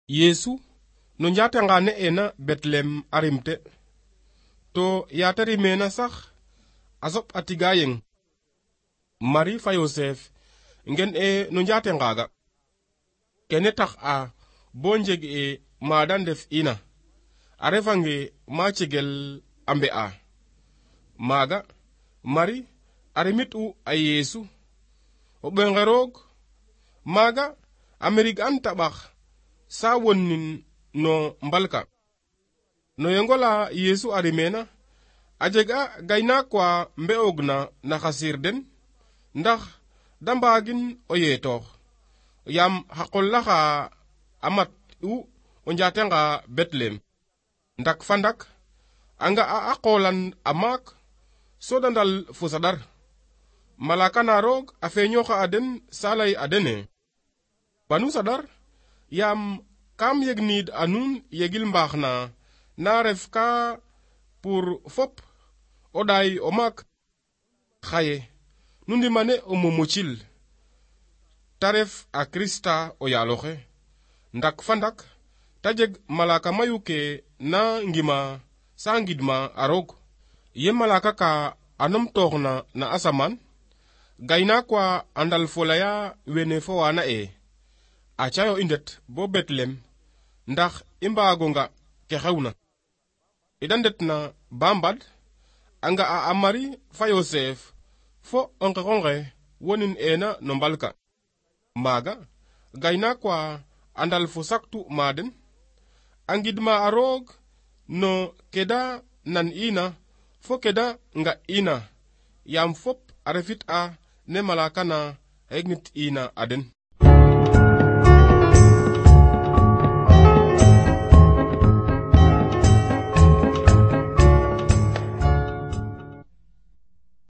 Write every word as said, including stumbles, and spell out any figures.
Yesu no njatanga ne ena Betlem arimte to yata rimena sax asop atiga yeng Marie fa Yosef ngen e no njatengaga kene tax a bo njeg e mada ndef ina a refange ma cegel ambe a maga Marie arimit u a Yesu o ɓenge roog maga Amerig an taɓax sa wonin no mbalka no yengola Yesu arimena a jeg a gaynaak wa mbe'oogna na xa siir den ndax da mbaagin o yeetoox yaam xa qol laxa a mat u o njatenga Betlem ndak fa ndak a nga'a a qoolan a maak so da ndal fo saɗar malaka na roog a feeñooxa a den sa lay a dene banu saɗar yaam kam yegnid a nuun yegil mbaax na na ref ka pour fop o ɗaay o maak xaye nu ndimane o momocil ta ref a Krista o yaaloxe ndak fa ndak ta jeg malaka mayu ke na ngima sa ngidma a roog ye malaka ka anom tooxna na asamaan gaynaak wa a ndal folaya wene fo wana e acayo i ndet bo Betlem ndax i mbaago nga ke xewna ida ndetna ba mbad a nga'a a Marie fa Yosef fo o nqexonge wonin ena no mbalka maaga gaynaak wa a ndal fo saktu ma den a ngidma a roog no keda nan ina fo keda nga ina yaam fop a refit a ne malaka na a yegnit ina a den